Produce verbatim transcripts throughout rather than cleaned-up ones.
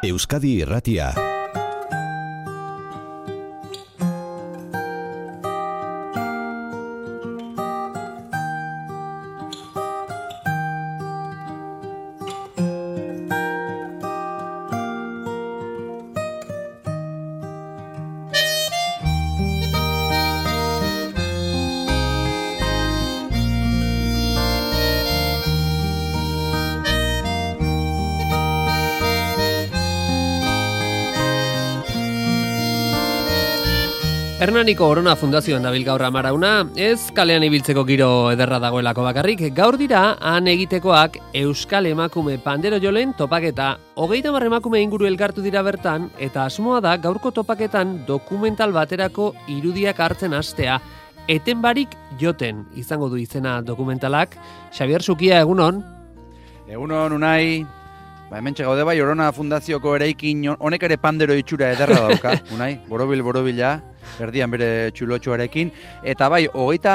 Euskadi Irratia. Hernaniko Orona Fundazioan dabil gaur amarauna, ez kalean ibiltzeko giro ederra dagoelako bakarrik, gaur dira han egitekoak Euskal Emakume Pandero Jolen topaketa. Hogeita hamar emakume inguru elkartu dira bertan, eta asmoa da gaurko topaketan dokumental baterako irudiak hartzen hastea. Eten barik joten izango du izena dokumentalak. Xabier Sukia, egunon? Egunon, Unai. Ba, hemen txegaude bai, Orona Fundazioko eraikin honek ere pandero itxura ederra dauka, Unai, borobil, borobila, erdian bere txulotxoarekin, eta bai, hogeita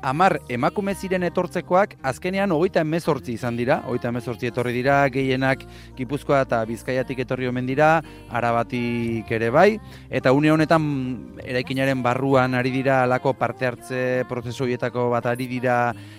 hamar emakume ziren etortzekoak, azkenean hogeita hemezortzi izan dira, hogeita hemezortzi etorri dira, gehienak Gipuzkoa eta Bizkaiatik etorri omen dira, Arabatik ere bai, eta une honetan eraikinaren barruan ari dira alako parte hartze prozesu horietako bat ari dira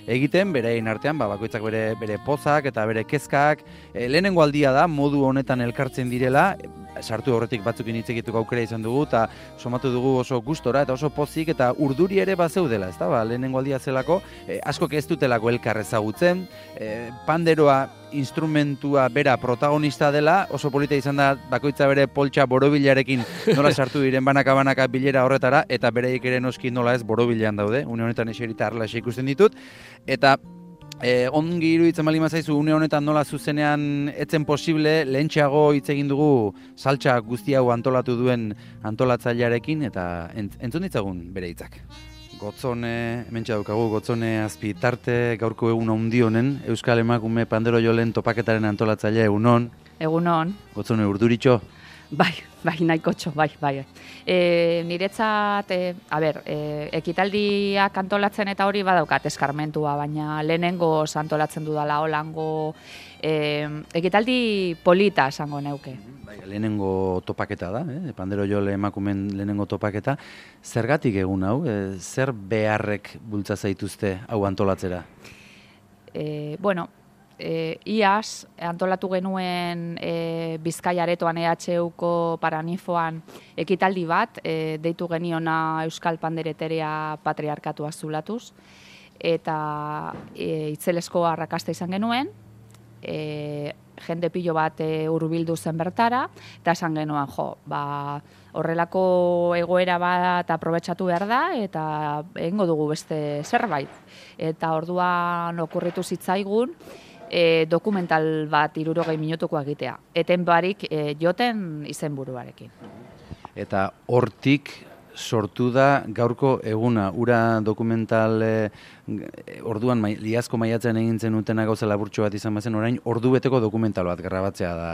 egiten, berein artean, ba, bakoitzak bere, bere pozak eta bere kezkak, e, lehenengo aldia da, modu honetan elkartzen direla, sartu horretik batzukin hitz egiteko aukera izan dugu, eta somatu dugu oso gustora eta oso pozik, eta urduri ere bazeudela, ezta? Ba, lehenengo aldia zelako, e, askok ez dutelako elkar ezagutzen, e, panderoa instrumentua bera protagonista dela, oso polita izan da bakoitza bere poltsa borobilarekin nola sartu diren banaka-banaka bilera horretara, eta bereik ere noski nola ez borobilean daude, une honetan eserita arrela ikusten ditut, eta E, ongi iruditzen bali mazaizu, une honetan nola zuzenean etzen posible, lehentxeago hitz egin dugu saltsa guzti hau antolatu duen antolatzailearekin, eta ent, entzun ditzagun bere hitzak. Gotzone, hementxe daukagu, Gotzone Azpitarte, gaurko egun handi honen, Euskal Emakume Pandero Jolen topaketaren antolatzailea egunon. Egunon. Gotzone, urduritxo. Bai, bai, nahikotxo, bai, bai. E, niretzat, e, a ber, e, ekitaldiak antolatzen eta hori badaukat eskarmentua, baina lehenengo antolatzen dudala holango e, ekitaldi polita esango neuke. Bai, lehenengo topaketa da, eh? Pandero Jole emakumen lehenengo topaketa. Zergatik egun hau, e, zer beharrek bultza zaituzte hau antolatzera? E, bueno, E, iaz, antolatu genuen e, Bizkaia aretoan E H Uko Paranifoan ekitaldi bat, e, deitu geniona Euskal Pandereteria Patriarkatua zulatuz, eta e, itzelesko arrakasta izan genuen, e, jende pilo bat e, hurbildu zen bertara, eta esan genuen, jo, ba, horrelako egoera bat aprobetxatu behar da, eta egingo dugu beste zerbait. Eta orduan okurritu zitzaigun, E, dokumental bat hirurogei minutuko egitea. Eten barik e, joten izenburuarekin. Eta hortik sortu da gaurko eguna, ura dokumental e, orduan mai, liazko maiatzen egin zenutena gauza laburtxo bat izan bazen, orain ordu beteko dokumental bat grabatzea da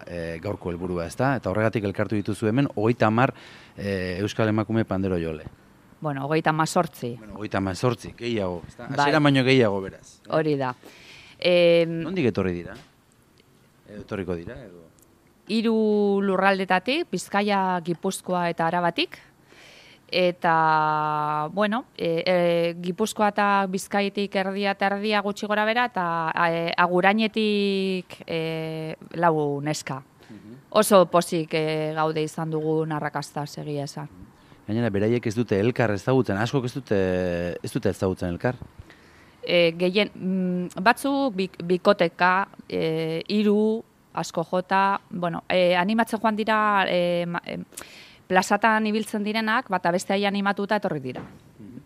e, gaurko helburua, ezta? Eta horregatik elkartu dituzu hemen hogeita hamar e, Euskal Emakume Pandero Jole. Bueno, hogeita hamazortzi. Bueno, hogeita hamazortzi, gehiago, ezta? Hasiera baino gehiago beraz. Hori da. E, Nondik etorri dira? Edo etorriko dira? Edo? Hiru lurraldetatik, Bizkaia, Gipuzkoa eta Arabatik. Eta, bueno, e, e, Gipuzkoa eta Bizkaitik erdia eta erdia gutxi gora bera, eta e, Agurainetik e, lau neska. Oso pozik e, gaude izan dugu narrakasta segia esan. Gainera, beraiek ez dute elkar ezagutzen, askok ez dute ez dute ezagutzen elkar? E, gehien, mm, batzuk bik, bikoteka, e, iru, asko jota, bueno, e, animatzen joan dira, e, e, plazatan ibiltzen direnak, bata beste hai animatuta etorri dira.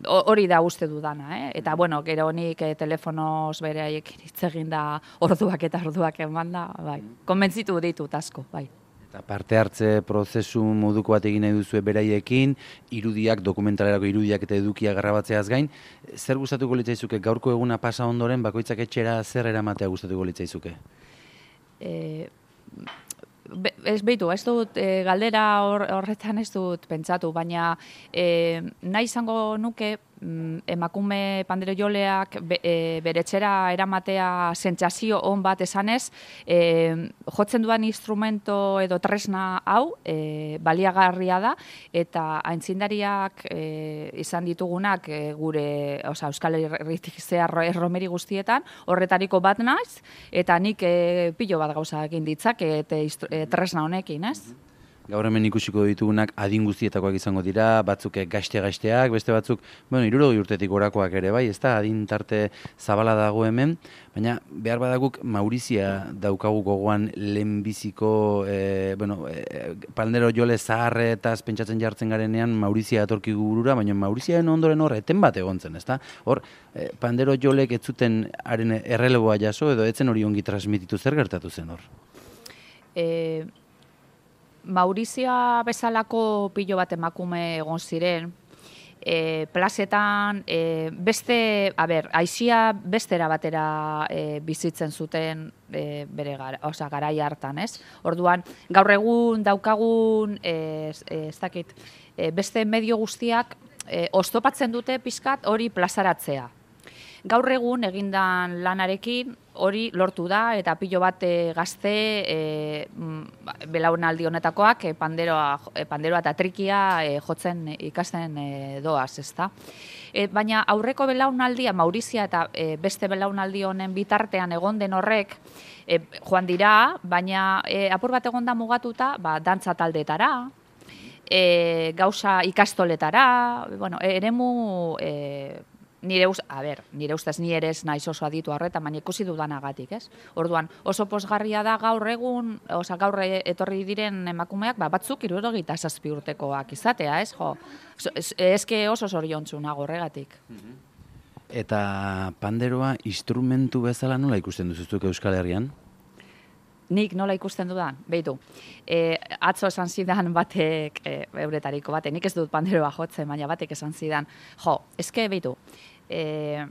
Hori da uste dudana, eh? Eta, bueno, gero honik e, telefonoz bere haiekin hitz egin da orduak eta orduak eman da, bai. Konbentzitu ditut asko, bai. Eta parte hartze prozesu moduko bat egin nahi duzue beraiekin, irudiak, dokumentalerako irudiak eta edukiak grabatzeaz gain, zer gustatuko litzaizuke gaurko eguna pasa ondoren bakoitzak etxera zer eramatea gustatuko litzaizuke? E, be, ez behitu, ez dut, e, galdera hor, horretan ez dut pentsatu, baina e, nahi izango nuke emakume pandero joleak be, e, bere etxera eramatea sentsazio on bat esanez, e, jotzen duan instrumento edo tresna hau e, baliagarria da, eta aintzindariak e, izan ditugunak e, gure, oza, Euskal Herritik zehar erromeri guztietan, horretariko bat naiz, eta nik e, pilo bat gauza egin ditzake e, e, tresna honekin, ez? Gaur hemen ikusiko ditugunak adin guztietakoak izango dira, batzuk gazte-gazteak, beste batzuk, bueno, hirurogei urtetik gorakoak ere, bai, ez da, adin tarte zabala dago hemen, baina behar badaguk Maurizia daukagu gogoan lehenbiziko, e, bueno, e, pandero jole zaharretaz pentsatzen jartzen garenean Maurizia atorki burura, baina Mauriziaen ondoren hor eten bat egon zen, ez da? Hor, e, pandero jolek ez zuten haren erreleboa jaso, edo etzen hori ongi transmititu, zer gertatu zen hor? E... Maurizia bezalako pilo bat emakume egon ziren, e, plazetan e, beste, a ber, aizia bestera batera e, bizitzen zuten e, bere gara, oza, garai hartan, ez? Orduan, gaur egun daukagun, e, ez dakit, e, beste medio guztiak e, oztopatzen dute pixkat hori plazaratzea. Gaur egun egindan lanarekin hori lortu da, eta pilo bat e, gazte e, belaunaldi honetakoak e, panderoa, e, panderoa eta trikia e, jotzen ikasten e, doaz, ezta? E, baina aurreko belaunaldia, Maurizia eta e, beste belaunaldi honen bitartean egon den horrek, e, joan dira, baina e, apur bat egon da mugatuta, ba, dantza taldetara, e, gauza ikastoletara, bueno, eremu... E, Nire, uz, a ber, nire ustez ni ere ez naiz oso aditu horretan, baina ikusi dudanagatik, ez? Orduan, oso pozgarria da gaur egun, oza, gaur etorri diren emakumeak, ba, batzuk hirurogeita zazpi urtekoak izatea, ez? Jo, eske oso zoriontsu nago horregatik. Eta panderoa instrumentu bezala nola ikusten duzuzuk Euskal Herrian? Nik nola ikusten dudan, behitu. E, atzo esan zidan batek, e, euretariko batek, nik ez dut panderoa jotzen, baina batek esan zidan, jo, eske behitu, e,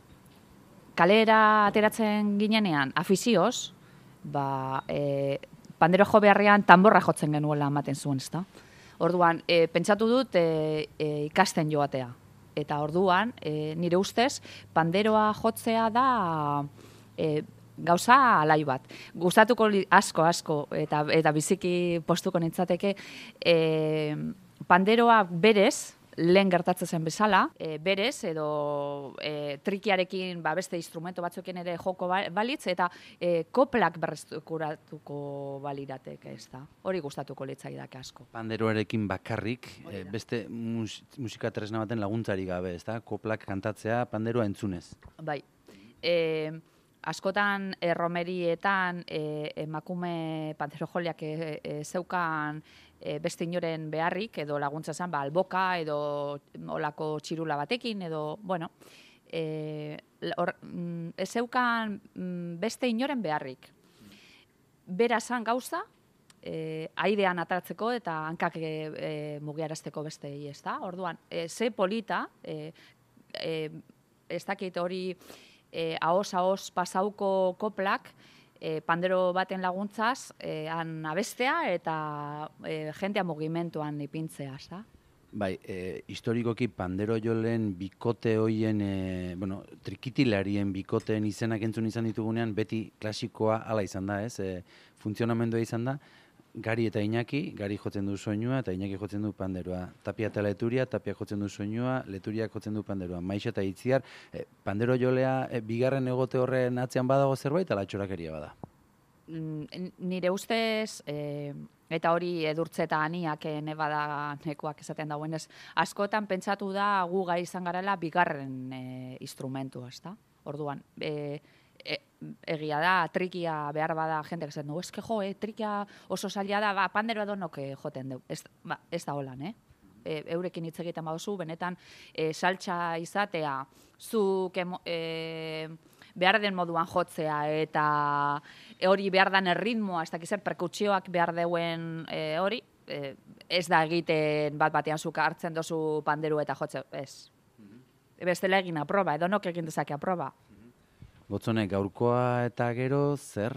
kalera ateratzen ginenean afizioz, ba, e, pandero jo beharrean tamborra jotzen genuela ematen zuen, ezta? Orduan, e, pentsatu dut e, e, ikasten joatea. Eta orduan, e, nire ustez, panderoa jotzea da... E, gauza alai bat. Gustatuko asko, asko, eta, eta biziki postuko nintzateke, e, panderoa berez, lehen gertatzen zen bezala, e, berez, edo e, trikiarekin ba, beste instrumento batzuekin ere joko balitz, eta e, koplak berreskuratuko balirateke, ez da. Hori gustatuko litzaidake asko. Panderoarekin bakarrik, e, beste mus, musika tresna baten laguntzari gabe, ez da? Koplak kantatzea panderoa entzunez. Bai. E, Askotan erromerietan e, emakume pandero joleak e, e, zeukan e, beste inoren beharrik, edo laguntza zen, ba, alboka, edo olako txirula batekin, edo, bueno, e, or, mm, ez zeukan mm, beste inoren beharrik. Bera zan gauza, e, airean ataratzeko eta hankak e, e, mugiarazteko beste ez da. Orduan, e, ze polita, e, e, ez dakit hori... E, ahos-ahos pasauko koplak e, pandero baten laguntzaz e, han abestea eta e, jentea mugimenduan ipintzea, da? Bai, e, historikoki pandero jolen bikote hoien, e, bueno, trikitilarien bikoteen izenak entzun izan ditugunean, beti klasikoa hala izan da, ez? E, funtzionamendua izan da, Gari eta Iñaki, Gari jotzen du soinua eta Iñaki jotzen du panderoa. Tapia eta Leturia, Tapia jotzen du soinua, Leturia jotzen du panderoa. Maixa eta Itziar, e, pandero jolea e, bigarren egote horren atzean badago zerbait, ala txorakeria bada? Nire ustez, e, eta hori edurtze eta aniak nebada nekoak esaten dauenez, askotan pentsatu da gu gai izan garela bigarren e, instrumentu, ez da? Orduan, e, E, egia da, trikia behar bada jentek esan du, eske jo, eh, trikia oso zaila da, ba, pandero edonok joten du. Ez, ba, ez da holan, eh? E, eurekin hitz egiten baduzu, benetan e, saltsa izatea, zuk e, behar den moduan jotzea, eta hori behar den erritmoa, ez dakizen perkutsioak behar deuen e, hori, e, ez da egiten bat batean zuk hartzen dozu panderu eta jotze, ez. Bestela egin aproba, edonok egin dezake aproba. Gotzone, gaurkoa eta gero, zer?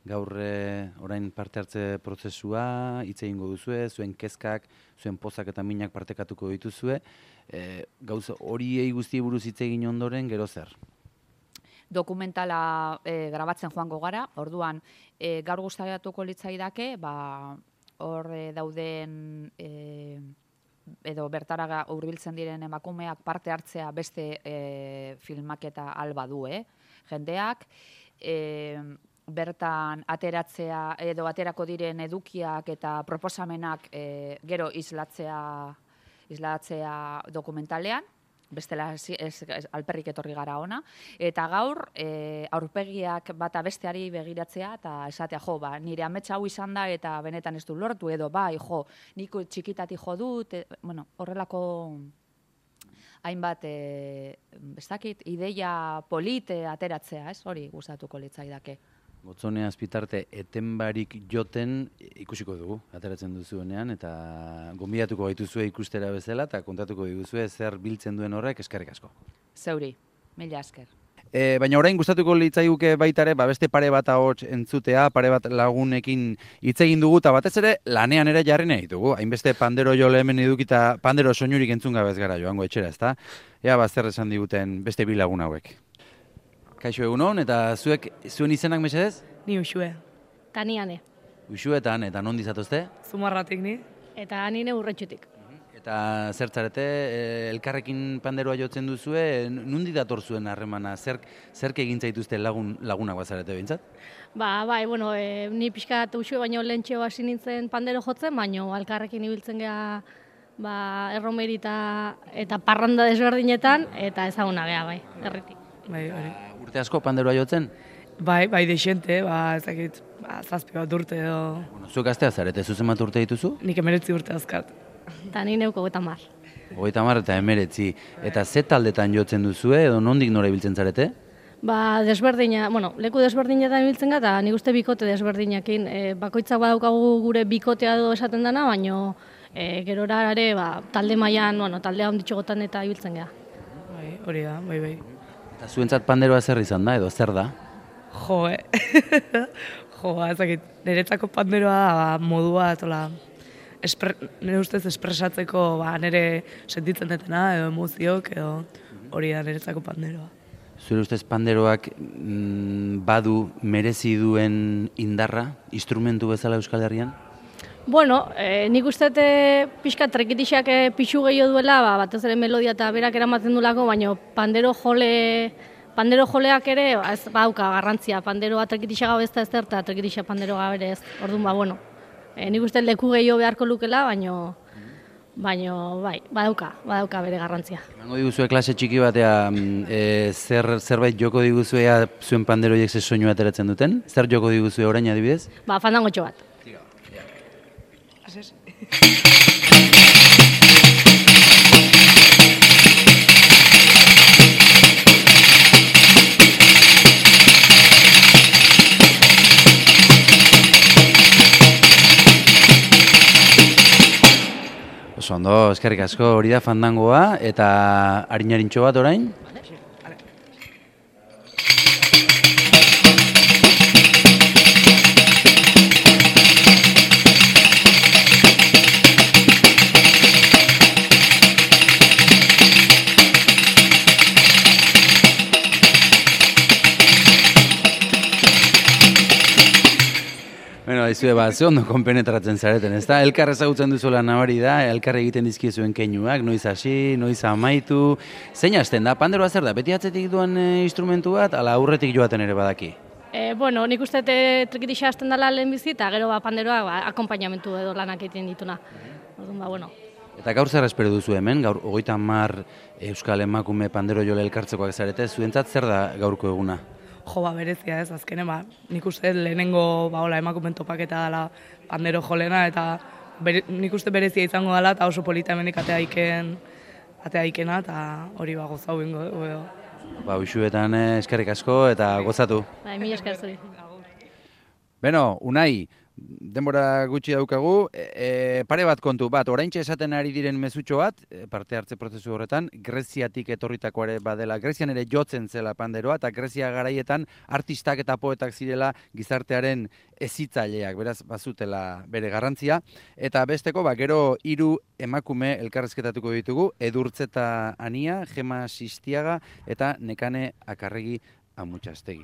gaur e, orain parte hartze prozesua, hitz egingo duzue, zuen kezkak, zuen pozak eta minak partekatuko dituzue. E, gauza horiei guztiei buruz hitz egin ondoren, gero zer? Dokumentala e, grabatzen joango gara, orduan e, gaur gustatuko litzaidake, ba, hor e, dauden e, edo bertara hurbiltzen diren emakumeak parte hartzea beste e, filmaketa alba du, eh? Jendeak, e, bertan ateratzea edo aterako diren edukiak eta proposamenak e, gero islatzea, islatzea dokumentalean, bestela ez, ez, ez, alperrik etorri gara ona, eta gaur e, aurpegiak bata besteari begiratzea eta esatea, jo, ba, nire ametsa hau izan da eta benetan ez du lortu, edo bai, jo, nik txikitati jo dut, e, bueno, horrelako hainbat, e, ez dakit, ideia polite ateratzea, ez, hori gustatuko litzaidake. Gotzone Azpitarte eten barik joten ikusiko dugu, ateratzen duzuenean, eta gonbidatuko gaituzue ikustera bezala, eta kontatuko diguzue zer biltzen duen horrek, eskerrik asko. Zeuri, mila esker. E, baina orain gustatuko litzaiguke baitare, ba beste pare bat ahots entzutea, pare bat lagunekin hitz egin dugu, eta batez ere lanean ere jarri nahi dugu. Hainbeste pandero jole hemen edukita pandero soinurik entzun gabez gara joango etxera, ezta? Ea ba zer esan diguten beste bi lagun hauek. Kaixo egunon, eta zuek zuen izenak mesedez? Ni Uxue. Ta ni ane. Uxuetan, eta non dizatozte? Zumarratik ni. Eta nine urretxutik. Eta zertzarete, elkarrekin panderoa jotzen duzue, nundi dator zuen harremana, zerk, zerk egin zaituzte lagun, lagunak bazarete behintzat? Ba, bai, bueno, e, ni pixka eta Uxue baino lehentxeo hasi nintzen pandero jotzen, baino alkarrekin ibiltzen geha ba, erromerita eta parranda desberdinetan, eta ezaguna geha, bai, erritik. Bai, hori. Urte asko panderoa jotzen? Bai, bai desente, ba, ez dakit, ba, zazpi bat urte edo... Bueno, zuek gaztea zarete, zuzen bat urte dituzu? Nik emeretzi urte azkat. Eta ni neuko eta mar. Hogeita hamar eta emeretzi. Eta ze taldetan jotzen duzue, edo nondik nora ibiltzen zarete? Ba, desberdina, bueno, leku desberdinetan ibiltzen gara, eta nik uste bikote desberdinakin. E, bakoitzak badaukagu gure bikotea edo esaten dana, baino e, gerora ere, ba, talde mailan, bueno, taldea onditxogotan eta ibiltzen gara. Bai, hori da, bai, bai. Eta zuentzat panderoa zer izan da, edo zer da? Jo, eh? Jo, ba, ez dakit, niretzako panderoa da, ba, modua, tola, espre, nire ustez espresatzeko, ba, nire sentitzen detena, edo emoziok, edo hori da niretzako panderoa. Zure ustez panderoak mm, badu merezi duen indarra, instrumentu bezala Euskal Herrian? Bueno, e, nik uste e, pixka trekitixak e, pixu gehiago duela, ba, batez ere melodia eta berak eramaten dulako, baina pandero jole, pandero joleak ere ba, ez badauka garrantzia. Panderoa trekitixa gau ez da ez da, eta trekitixa pandero gabe ez. Orduan, ba, bueno, e, nik uste leku gehiago beharko lukela, baina baina bai, badauka, badauka bere garrantzia. Emango diguzue klase txiki batea, e, zer, zerbait joko diguzuea zuen panderoiek ze soinu ateratzen duten? Zer joko diguzue orain adibidez? Ba, fandangotxo bat. Oso ondo, eskerrik asko, hori da fandangoa, eta harinarintxo bat orain? Bueno, aizue, ba, ze ondo konpenetratzen zareten, ez da? Elkar ezagutzen duzuela nabari da, elkar egiten dizkiezuen keinuak, noiz hasi, noiz amaitu. Zein hasten da? Panderoa zer da? Beti atzetik duan e, instrumentu bat, ala aurretik joaten ere badaki? E, bueno, nik uste trekitixa hasten dela lehen bizi, eta gero ba, panderoa ba, akompainamentu edo lanak egiten dituna. Orduan, ba, bueno. Eta gaur zer espero duzu hemen, gaur hogeita hamar Euskal Emakume pandero jole elkartzekoak zarete, zuentzat zer da gaurko eguna? Jo, ba, berezia ez, azkene, ba, nik uste lehenengo ba, hola, emakumen topaketa dela pandero jolena, eta bere, nik uste berezia izango dela, eta oso polita hemenik atea iken, atea ikena, eta hori ba, gozau bingo. Ba, uxuetan eskerrik asko eta gozatu. Bai, mila esker zuri. Beno, Unai, denbora gutxi daukagu, e, e, pare bat kontu, bat, oraintxe esaten ari diren mezutxo bat, e, parte hartze prozesu horretan, Greziatik etorritako ere badela, Grezian ere jotzen zela panderoa, eta Grezia garaietan artistak eta poetak zirela gizartearen hezitzaileak, beraz, bazutela bere garrantzia, eta besteko, ba, gero hiru emakume elkarrezketatuko ditugu, Edurtzeta Ania, Gema Sistiaga, eta Nekane Akarregi Amutxastegi.